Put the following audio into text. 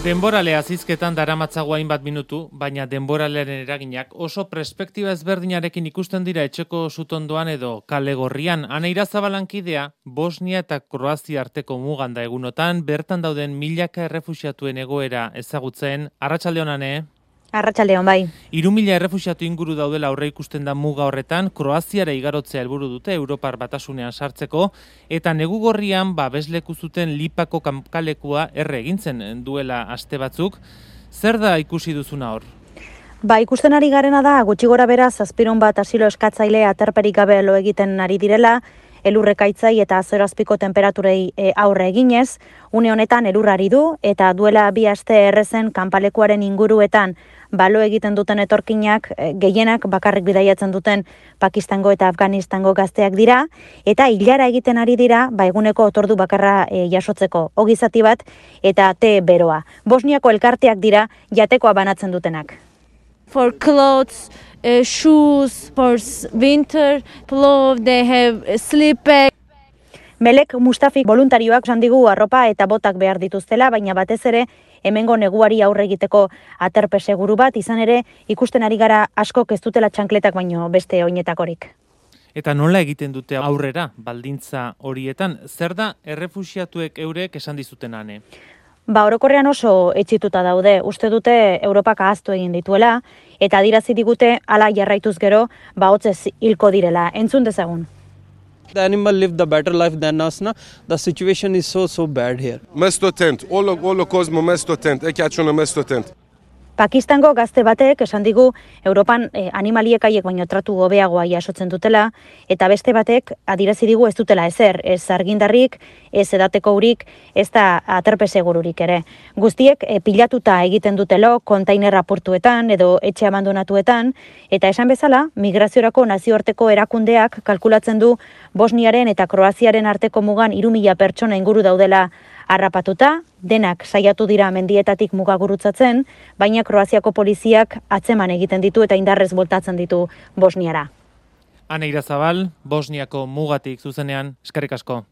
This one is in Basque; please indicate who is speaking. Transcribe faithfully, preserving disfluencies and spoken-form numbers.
Speaker 1: Denboralea zizketan daramatzago hainbat minutu, baina denboralearen eraginak oso perspektiba ezberdinarekin ikusten dira etxeko sutondoan edo kale gorrian. Aneira Zabalankidea, Bosnia eta Kroazia arteko mugan da egunotan, bertan dauden milaka errefuxiatuen egoera ezagutzen. Arratsaldeon ane?
Speaker 2: Arratsaldeon bai.
Speaker 1: Hiru mila errefuxiatu inguru daudela aurre ikusten da muga horretan, Kroaziara igarotzea helburu dute Europar Batasunean sartzeko, eta negu gorrian babesleku zuten Lipako kankalekua erre egintzen duela aste batzuk. Zer da ikusi duzuna hor?
Speaker 2: Ba, ikusten ari garena da, gutxi gora bera zazpiron bat asilo eskatzaile aterperik gabe lo egiten ari direla, elurrekaitzai eta azerazpiko temperaturei e, aurre eginez, une honetan elurrari du, eta duela bi aste errezen kanpalekuaren inguruetan balo egiten duten etorkinak, e, gehienak bakarrik bidaiatzen duten Pakistango eta Afganistango gazteak dira, eta hilara egiten ari dira, ba eguneko otordu bakarra e, jasotzeko ogizati bat, eta te beroa. Bosniako elkarteak dira jatekoa banatzen dutenak.
Speaker 3: For clothes, uh, shoes, for winter clothes, they have a sleep bag.
Speaker 2: Melek Mustafik voluntarioak esan digu arropa eta botak behar dituztela, baina batez ere hemengo neguari aurre egiteko aterpe seguru bat, izan ere ikusten ari gara askok ez dutela txankletak baino beste oinetakorik.
Speaker 1: Eta nola egiten dute aurrera baldintza horietan? Zer da errefuxiatuek eurek esan dizuten ane?
Speaker 2: Ba, orokorrean oso etxituta daude, uste dute Europak ahaztu egin dituela, eta adirazi digute hala jarraituz gero, ba hotzez hilko direla. Entzun dezagun.
Speaker 4: The animal live the better life than us, na? The situation is so, so bad here.
Speaker 5: Mesto tent, olo, olo kozmo mesto tent, eki atxona mesto tent.
Speaker 2: Pakistango gazte batek esan digu Europan eh, animaliekaiek baino tratu hobeagoa jasotzen dutela, eta beste batek adirazi digu ez dutela ezer, ez argindarrik, ez edateko urik, ez da aterpe segururik ere. Guztiek eh, pilatuta egiten dutelo kontainer apurtuetan edo etxe abandonatuetan, eta esan bezala, migraziorako nazioarteko erakundeak kalkulatzen du Bosniaren eta Kroaziaren arteko mugan hiru mila pertsona inguru daudela harrapatuta, denak saiatu dira mendietatik muga gurutzatzen, baina Kroaziako poliziak atzeman egiten ditu eta indarrez boltatzen ditu Bosniara.
Speaker 1: Aneira Zabal, Bosniako mugatik zuzenean, eskerrik asko.